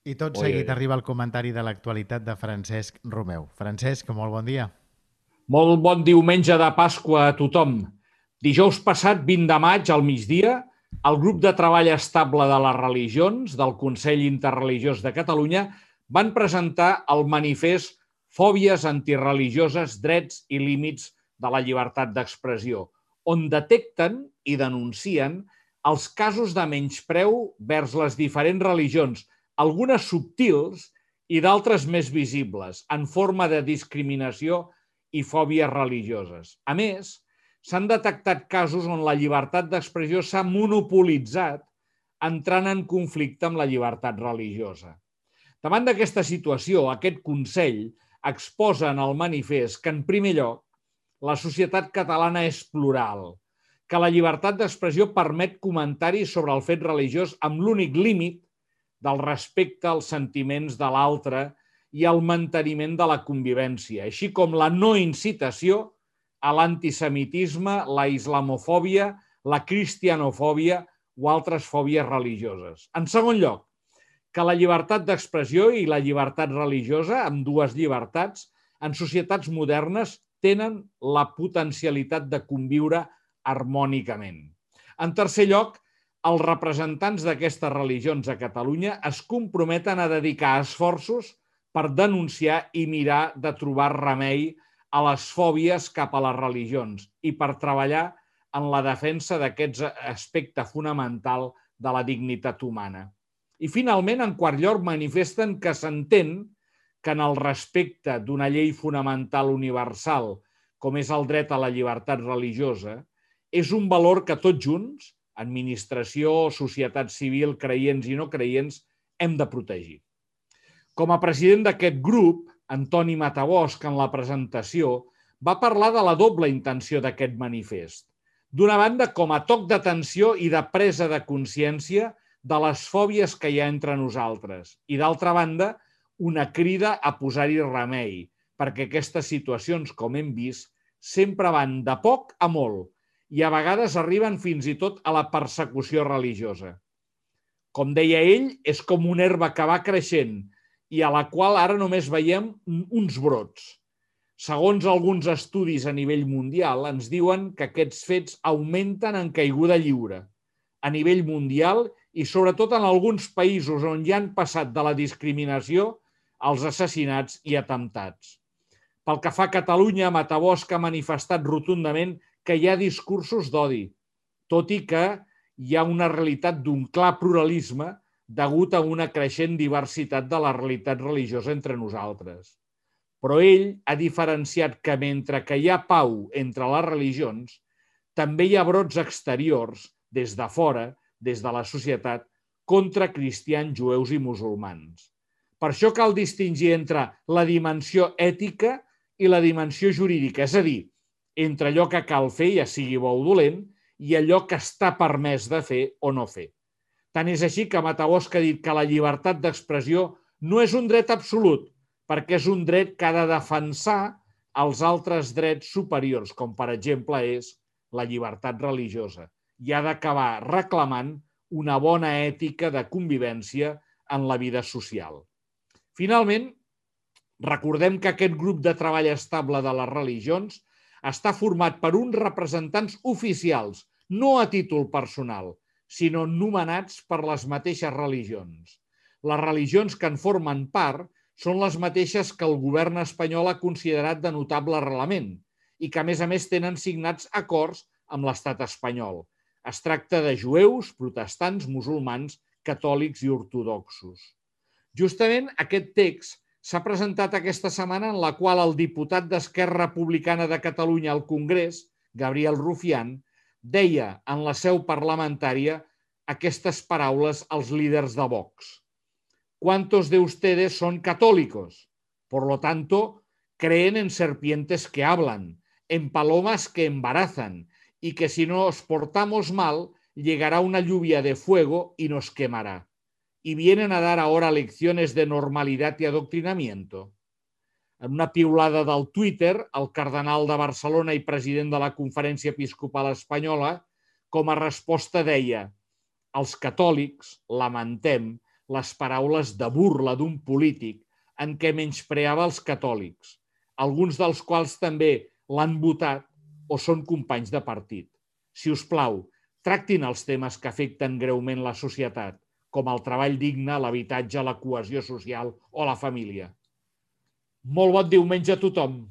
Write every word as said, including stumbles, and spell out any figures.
I tot Oi, seguit oi, oi. arriba el comentari de l'actualitat de Francesc Romeu. Francesc, molt bon dia. Molt bon diumenge de Pasqua a tothom. Dijous passat, vint de maig, al migdia, el grup de treball estable de les religions del Consell Interreligiós de Catalunya van presentar el manifest Fòbies antireligioses, drets i límits de la llibertat d'expressió, on detecten i denuncien els casos de menyspreu vers les diferents religions, algunes subtils i d'altres més visibles, en forma de discriminació i fòbies religioses. A més, s'han detectat casos on la llibertat d'expressió s'ha monopolitzat entrant en conflicte amb la llibertat religiosa. Davant d'aquesta situació, aquest Consell exposa en el manifest que, en primer lloc, la societat catalana és plural, que la llibertat d'expressió permet comentaris sobre el fet religiós amb l'únic límit del respecte als sentiments de l'altre i el manteniment de la convivència, així com la no incitació a l'antisemitisme, la islamofòbia, la cristianofòbia o altres fòbies religioses. En segon lloc, que la llibertat d'expressió i la llibertat religiosa, amb dues llibertats, en societats modernes tenen la potencialitat de conviure harmònicament. En tercer lloc, els representants d'aquestes religions a Catalunya es comprometen a dedicar esforços per denunciar i mirar de trobar remei a les fòbies cap a les religions i per treballar en la defensa d'aquest aspecte fonamental de la dignitat humana. I finalment, en quart lloc, manifesten que s'entén que en el respecte d'una llei fonamental universal, com és el dret a la llibertat religiosa, és un valor que tots junts, administració, societat civil, creients i no creients, hem de protegir. Com a president d'aquest grup, Antoni Matabosch, en la presentació, va parlar de la doble intenció d'aquest manifest. D'una banda, com a toc d'atenció i de presa de consciència de les fòbies que hi ha entre nosaltres. I d'altra banda, una crida a posar-hi remei, perquè aquestes situacions, com hem vist, sempre van de poc a molt i a vegades arriben fins i tot a la persecució religiosa. Com deia ell, és com una herba que va creixent i a la qual ara només veiem uns brots. Segons alguns estudis a nivell mundial, ens diuen que aquests fets augmenten en caiguda lliure a nivell mundial i sobretot en alguns països on ja han passat de la discriminació als assassinats i atemptats. Pel que fa a Catalunya, Matabosch ha manifestat rotundament que hi ha discursos d'odi, tot i que hi ha una realitat d'un clar pluralisme degut a una creixent diversitat de la realitat religiosa entre nosaltres. Però ell ha diferenciat que mentre que hi ha pau entre les religions, també hi ha brots exteriors, des de fora, des de la societat, contra cristians, jueus i musulmans. Per això cal distingir entre la dimensió ètica i la dimensió jurídica, és a dir, entre allò que cal fer, ja sigui bo o dolent, i allò que està permès de fer o no fer. Tant és així que Matabosch ha dit que la llibertat d'expressió no és un dret absolut, perquè és un dret que ha de defensar els altres drets superiors, com per exemple és la llibertat religiosa, i ha d'acabar reclamant una bona ètica de convivència en la vida social. Finalment, recordem que aquest grup de treball estable de les religions està format per uns representants oficials, no a títol personal, sinó nomenats per les mateixes religions. Les religions que en formen part són les mateixes que el govern espanyol ha considerat de notable arrelament i que, a més a més, tenen signats acords amb l'estat espanyol. Es tracta de jueus, protestants, musulmans, catòlics i ortodoxos. Justament aquest text s'ha presentat aquesta setmana en la qual el diputat d'Esquerra Republicana de Catalunya al Congrés, Gabriel Rufián, deia en la seu parlamentària aquestes paraules als líders de Vox. ¿Cuántos de ustedes son católicos? Por lo tanto, creen en serpientes que hablan, en palomas que embarazan, y que si nos portamos mal, llegará una lluvia de fuego y nos quemará. ¿Y vienen a dar ahora lecciones de normalidad y adoctrinamiento? En una piulada del Twitter, el cardenal de Barcelona i president de la Conferència Episcopal Espanyola, com a resposta deia: els catòlics lamentem les paraules de burla d'un polític en què menyspreava els catòlics, alguns dels quals també l'han votat o són companys de partit. Si us plau, tractin els temes que afecten greument la societat, com el treball digne, l'habitatge, la cohesió social o la família. Molt bon diumenge a tothom!